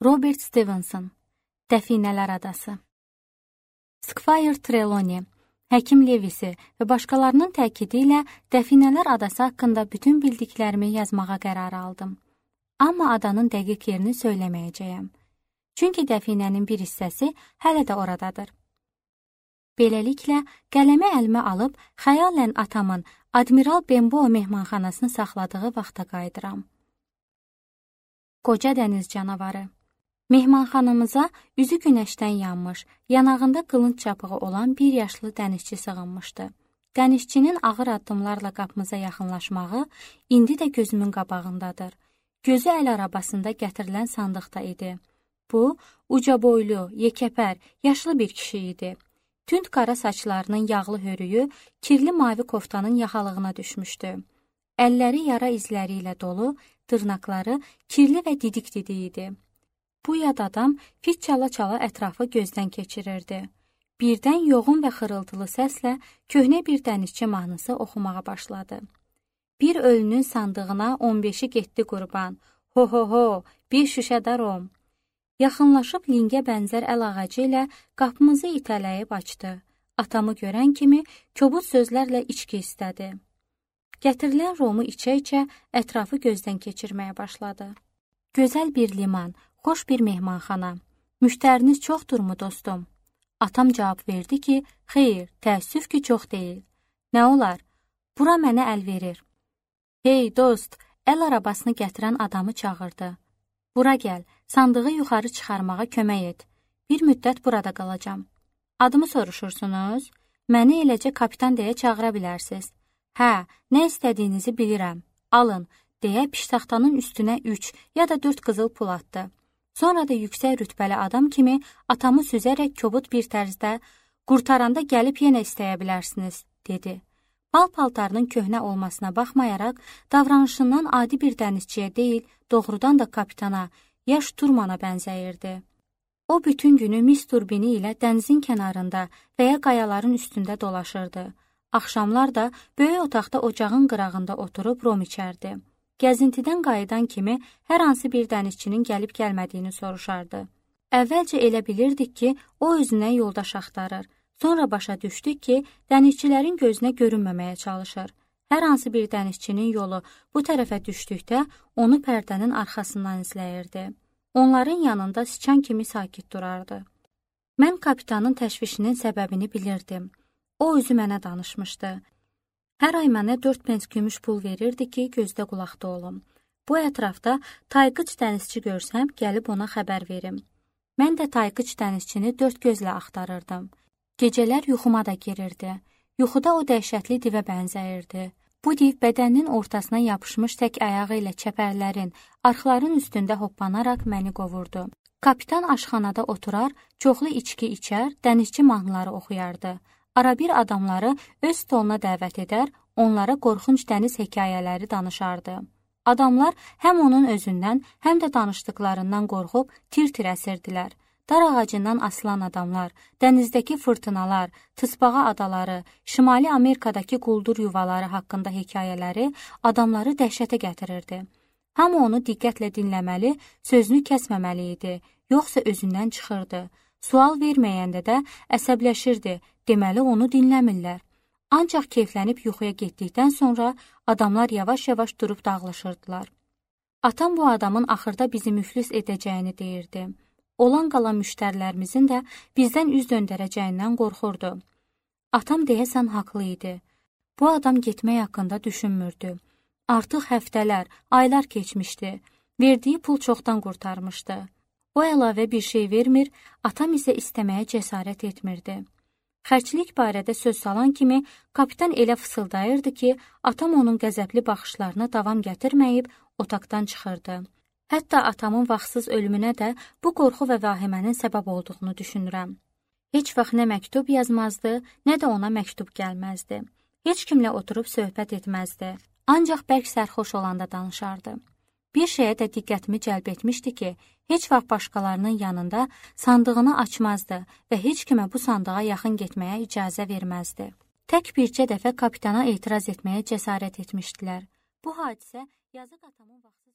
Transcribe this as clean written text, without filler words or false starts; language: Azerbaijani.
Robert Stevenson, Dəfinələr adası. Squire Trelawney, həkim Lewisi və başqalarının təkidi ilə Dəfinələr adası haqqında bütün bildiklərimi yazmağa qərar aldım. Amma adanın dəqiq yerini söyləməyəcəyəm. Çünki dəfinənin bir hissəsi hələ də oradadır. Beləliklə, qələmi əlimə alıb, xəyalən atamın Admiral Benbow mehmanxanasını saxladığı vaxta qayıdıram. Qoca dəniz canavarı. Mehmanxanamıza üzü günəşdən yanmış, yanağında qılınc çapığı olan bir yaşlı dənizçi sığınmışdı. Dənizçinin ağır addımlarla qapımıza yaxınlaşmağı indi də gözümün qabağındadır. Gözü əl arabasında gətirilən sandıqda idi. Bu, uca boylu, yekəpər, yaşlı bir kişi idi. Tünd qara saçlarının yağlı hörüyü kirli mavi koftanın yaxalığına düşmüşdü. Əlləri yara izləri ilə dolu, dırnaqları kirli və didik-didik idi. Bu yad adam fit çala-çala ətrafı gözdən keçirirdi. Birdən yoğun və xırıltılı səslə köhnə bir dənizçi mahnısı oxumağa başladı. Bir ölünün sandığına 15-i getdi qurban, ho-ho-ho, bir şüşə darom. Yaxınlaşıb lingə bənzər əl ağacı ilə qapımızı itələyib açdı. Atamı görən kimi kobud sözlərlə içki istədi. Gətirilən romu içə-içə ətrafı gözdən keçirməyə başladı. Gözəl bir liman, xoş bir mehmanxana. Müştəriniz çoxdurmu dostum? Atam cavab verdi ki, xeyr, təəssüf ki, çox deyil. Nə olar? Bura mənə əl verir. Hey dost, əl arabasını gətirən adamı çağırdı. Bura gəl, sandığı yuxarı çıxarmağa kömək et. Bir müddət burada qalacam. Adımı soruşursunuz? Məni eləcə kapitan deyə çağıra bilərsiniz. Hə, nə istədiyinizi bilirəm. Alın, deyə piştaxtanın üstünə 3 ya da 4 qızıl pul atdı. Sonra da yüksək rütbəli adam kimi atamı süzərək kobud bir tərzdə qurtaranda gəlib yenə istəyə bilərsiniz, dedi. Pal-paltarının köhnə olmasına baxmayaraq, davranışından adi bir dənizçiyə deyil, doğrudan da kapitana, yaş Turmana bənzəyirdi. O bütün günü mis turbini ilə dənizin kənarında və ya qayaların üstündə dolaşırdı. Axşamlar da böyük otaqda ocağın qırağında oturub rom içərdi. Gəzintidən qayıdan kimi hər hansı bir dənizçinin gəlib gəlmədiyini soruşardı. Əvvəlcə elə bilirdik ki, o özünə yoldaş axtarır. Sonra başa düşdük ki, dənizçilərin gözünə görünməməyə çalışır. Hər hansı bir dənizçinin yolu bu tərəfə düşdükdə onu pərdənin arxasından izləyirdi. Onların yanında sıçan kimi sakit durardı. Mən kapitanın təşvişinin səbəbini bilirdim. O özü mənə danışmışdı. Hər ay mənə 4 pens gümüş pul verirdi ki, gözdə qulaqda olum. Bu ətrafda tayqıç dənizçi görsəm, gəlib ona xəbər verim. Mən də tayqıç dənizçini 4 gözlə axtarırdım. Gecələr yuxuma da girirdi. Yuxuda o dəhşətli divə bənzəyirdi. Bu div bədəninin ortasına yapışmış tək ayağı ilə çəpərlərin, arxların üstündə hoppanaraq məni qovurdu. Kapitan aşxanada oturar, çoxlu içki içər, dənizçi mahnıları oxuyardı. Arabir adamları öz stoluna dəvət edər, onlara qorxunc dəniz hekayələri danışardı. Adamlar həm onun özündən, həm də danışdıqlarından qorxub tir-tir əsirdilər. Dar ağacından asılan adamlar, dənizdəki fırtınalar, tısbağa adaları, Şimali Amerikadakı quldur yuvaları haqqında hekayələri adamları dəhşətə gətirirdi. Hamı onu diqqətlə dinləməli, sözünü kəsməməli idi, yoxsa özündən çıxırdı. Sual verməyəndə də əsəbləşirdi, deməli onu dinləmirlər. Ancaq keyflənib yuxuya getdikdən sonra adamlar yavaş-yavaş durub dağılışırdılar. Atam bu adamın axırda bizi müflis edəcəyini deyirdi. Olan qalan müştərilərimizin də bizdən üz döndərəcəyindən qorxurdu. Atam deyəsən haqlı idi. Bu adam getmək haqqında düşünmürdü. Artıq həftələr, aylar keçmişdi. Verdiyi pul çoxdan qurtarmışdı. O əlavə bir şey vermir, atam isə istəməyə cəsarət etmirdi. Xərclik barədə söz salan kimi kapitan elə fısıldayırdı ki, atam onun qəzəbli baxışlarına davam gətirməyib otaqdan çıxırdı. Hətta atamın vaxtsız ölümünə də bu qorxu və vahimənin səbəb olduğunu düşünürəm. Heç vaxt nə məktub yazmazdı, nə də ona məktub gəlməzdi. Heç kimlə oturub söhbət etməzdi. Ancaq bərk sərxoş olanda danışardı. Bir şeyə də diqqətimi cəlb etmişdi ki, heç vaxt başqalarının yanında sandığını açmazdı və heç kimə bu sandığa yaxın getməyə icazə verməzdi. Tək bircə dəfə kapitana etiraz etməyə cəsarət etmişdilər. Bu hadisə yazıq atamın vaxtı